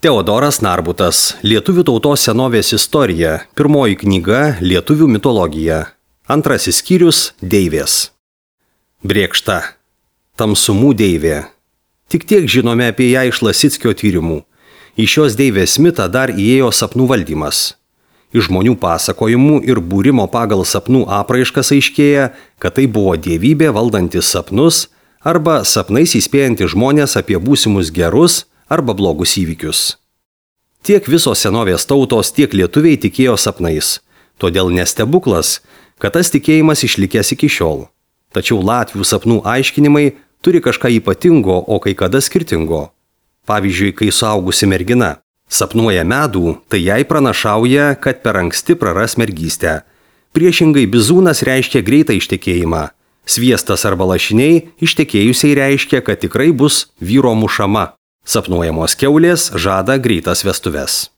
Teodoras Narbutas, Lietuvių tautos senovės istorija, pirmoji knyga Lietuvių mitologija, antrasis skyrius Deivės. Brėkšta. Tamsumų deivė. Tik tiek žinome apie ją iš Lasickio tyrimų. Į šios deivės mitą dar įėjo sapnų valdymas. Iš žmonių pasakojimų ir būrimo pagal sapnų apraiškas aiškėja, kad tai buvo dievybė valdantis sapnus arba sapnais įspėjanti žmonės apie būsimus gerus arba blogus įvykius. Tiek visos senovės tautos, tiek lietuviai tikėjo sapnais. Todėl nestebuklas, kad tas tikėjimas išlikęs iki šiol. Tačiau latvių sapnų aiškinimai turi kažką ypatingo, o kai kada skirtingo. Pavyzdžiui, kai suaugusi mergina sapnuoja medų, tai jai pranašauja, kad per anksti praras mergystę. Priešingai bizūnas reiškia greitą ištekėjimą. Sviestas arba lašiniai ištekėjusiai reiškia, kad tikrai bus vyro mušama. Sapnuojamos kiaulės žada greitas vestuves.